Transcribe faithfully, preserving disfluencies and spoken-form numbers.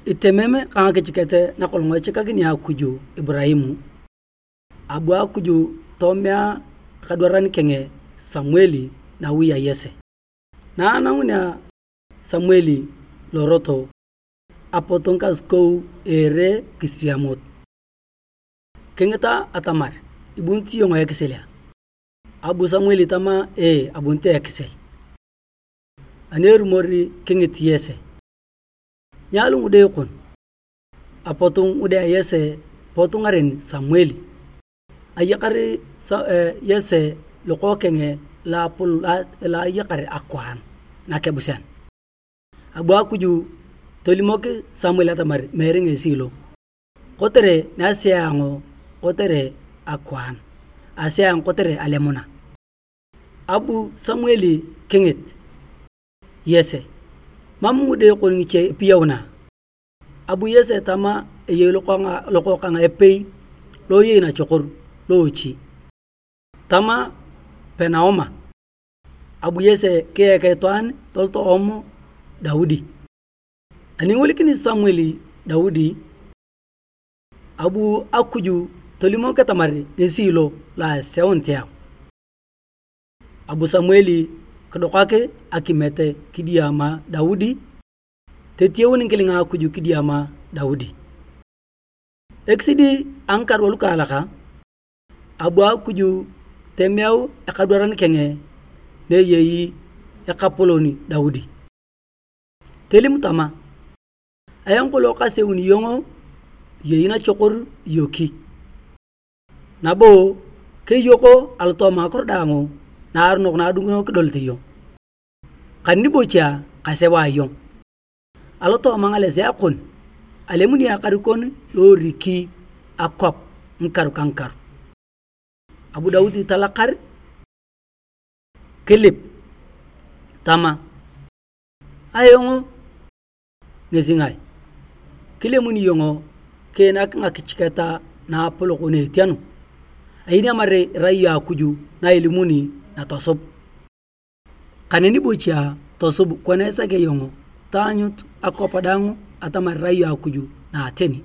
Itemem ka ngakichiket nakolong echikakini Akuj Iburaimu, abu Akuj tomea ekadwaran keng Samuel nawi a Yese. Na anangunea Samuel lorot, apot ngikasukou a ere kisiriamot. Kingita atamar, "Ibunit iyong ekisel a?" Abu Samuel tama, "Ee, abunit ekisel." Ani erumor kingit Yese, "Nyaalu ngide kon?" Apot ngide a Yese pot ngaren Samuel. Ayakar Sa-, eh, Yese lokookeng lo apol-, lo ayakar akwaan nakebusean. Abu Akuj tolimok Samuel atamar meere ngesi lo, kotere nasea ayong kotere akwaan, asea ayong kotere alemuna. Abu Samuel kingit Yese, "Mam ngide kon ngiche epiyauna?" Abu Yese tama, "Eyei lokokang epei lo eyei nachokor loochi." Tama Penaoma. Abu Yese kiek itwaan toloto oom Daudi. Ani ingolikini Samuel Daudi, abu Akuj tolimok atamar ngesi lo, lo aseunit ayong. Abu Samuel kidokak akimet kidiama Daudi, tetieu ngikilinga Akuj kidiama Daudi. Ekisidi a ngikaru lukaalak, abu Akuj temeu ekadwaran keng na eyei ekapolon Daudi. Telim tama, "Ayong kolong kaseuni iyong, iyei nachokor iyoki. Nabo keyoko alotooma ngakiro daang naaronok na adungunio kidolete iyong. Kaneni bocha kaseu ayong. Alotooma ngalesea kon, alemuni akan kon lo eriki akwap ngikaru ka ngikaru." Abu Daudi talakar, kilip tama, "Ayong ngesi ngae? Kilemuni iyong kiinak ngakichiketa naapolok na etianu? Ayeni amar irai iyong Akuj na ilimuni natosub. Kaneni bocha tosub kona isaki iyong taanyut akwap daang atamar irai iyong Akuj na ateni."